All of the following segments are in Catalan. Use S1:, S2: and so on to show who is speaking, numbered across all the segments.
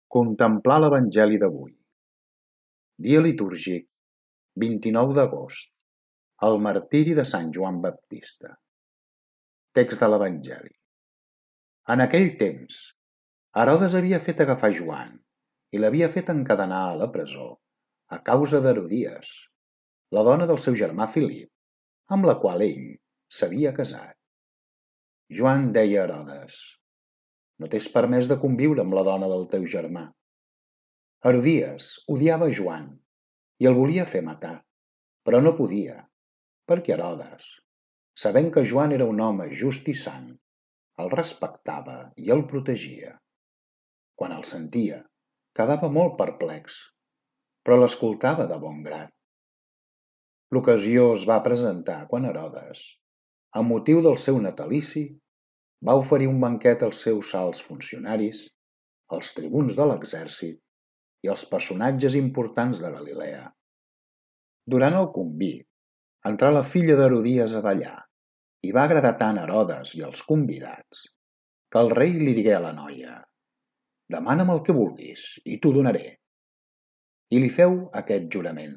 S1: Contemplar l'Evangeli d'avui. Dia litúrgic, 29 d'agost. El martiri de Sant Joan Baptista. Text de l'Evangeli. En aquell temps, Herodes havia fet agafar Joan i l'havia fet encadenar a la presó a causa d'Herodies, la dona del seu germà Filip, amb la qual ell s'havia casat. Joan deia a Herodes: no t'és permès de conviure amb la dona del teu germà. Herodies odiava Joan i el volia fer matar, però no podia, perquè Herodes, sabent que Joan era un home just i sant, el respectava i el protegia. Quan el sentia, quedava molt perplex, però l'escoltava de bon grat. L'ocasió es va presentar quan Herodes, amb motiu del seu natalici, va oferir un banquet als seus alts funcionaris, als tribuns de l'exèrcit i als personatges importants de Galilea. Durant el convit, entrà la filla d'Herodies a ballar i va agradar tant a Herodes i als convidats que el rei li digué a la noia: demana'm el que vulguis i t'ho donaré. I li feu aquest jurament: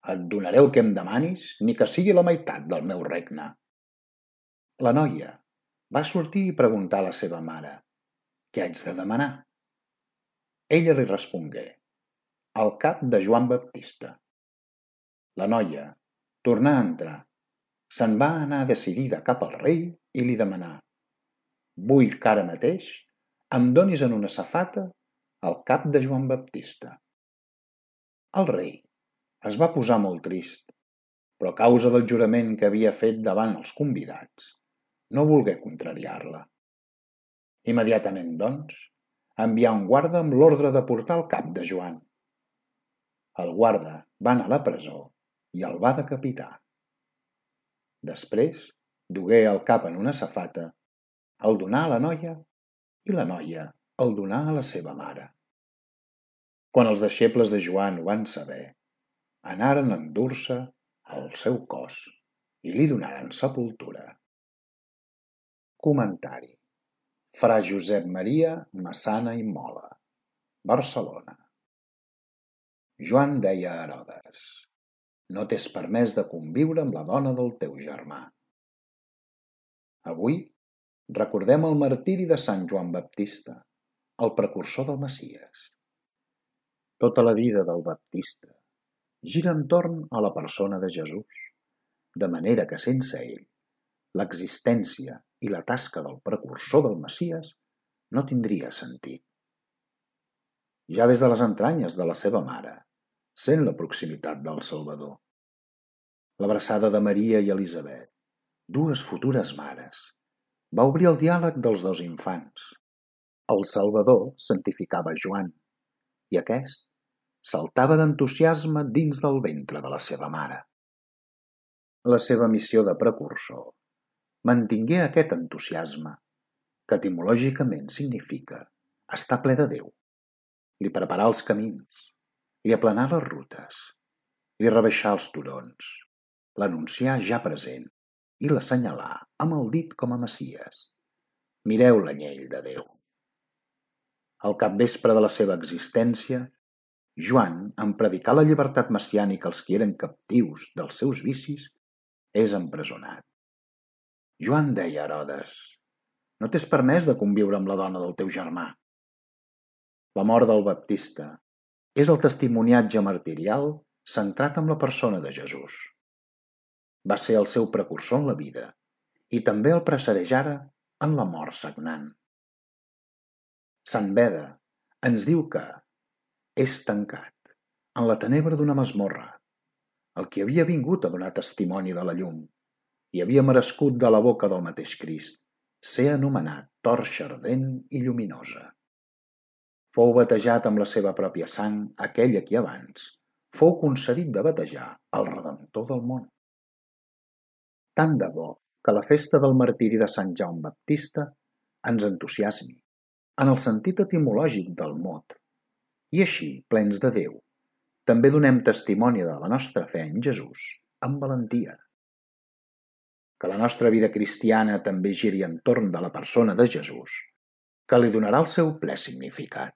S1: et donaré el que em demanis, ni que sigui la meitat del meu regne. La noia va sortir i preguntar a la seva mare: què haig de demanar? Ella li respongué: el cap de Joan Baptista. La noia tornà a entrar, se'n va anar decidida cap al rei i li demanà: vull que ara mateix em donis en una safata el cap de Joan Baptista. El rei es va posar molt trist, però a causa del jurament que havia fet davant els convidats, no volgué contrariar-la. Immediatament, doncs, envià un guarda amb l'ordre de portar el cap de Joan. El guarda va anar a la presó i el va decapitar. Després dugué el cap en una safata, el donà a la noia i la noia el donà a la seva mare. Quan els deixebles de Joan ho van saber, anaren a endur-se el seu cos i li donaren sepultura. Comentari: Fra Josep Maria Massana i Mola, Barcelona. Joan deia a Herodes: no t'és permès de conviure amb la dona del teu germà. Avui recordem el martiri de Sant Joan Baptista, el precursor del Messies. Tota la vida del Baptista gira entorn a la persona de Jesús, de manera que sense ell, l'existència i la tasca del precursor del Messies no tindria sentit. Ja des de les entranyes de la seva mare, sent la proximitat del Salvador. L'abraçada de Maria i Elisabet, dues futures mares, va obrir el diàleg dels dos infants. El Salvador santificava Joan i aquest saltava d'entusiasme dins del ventre de la seva mare. La seva missió de precursor mantingué aquest entusiasme, que etimològicament significa estar ple de Déu. Li preparà els camins, li aplanà les rutes, li rebaixà els turons, l'anuncià ja present i l'assenyalà amb el dit com a Messies. Mireu l'anyell de Déu. Al capvespre de la seva existència, Joan, en predicar la llibertat messiànica als qui eren captius dels seus vicis, és empresonat. Joan deia a Herodes: no t'és permès de conviure amb la dona del teu germà. La mort del Baptista és el testimoniatge martirial centrat en la persona de Jesús. Va ser el seu precursor en la vida i també el precedeix ara en la mort sagnant. Sant Beda ens diu que és tancat en la tenebra d'una masmorra el qui havia vingut a donar testimoni de la llum i havia merescut de la boca del mateix Crist ser anomenat torxa ardent i lluminosa. Fou batejat amb la seva pròpia sang aquell a qui abans fou concedit de batejar el Redemptor del món. Tant de bo que la festa del martiri de Sant Joan Baptista ens entusiasmi, en el sentit etimològic del mot, i així, plens de Déu, també donem testimoni de la nostra fe en Jesús amb valentia. Que la nostra vida cristiana també giri entorn de la persona de Jesús, que li donarà el seu ple significat.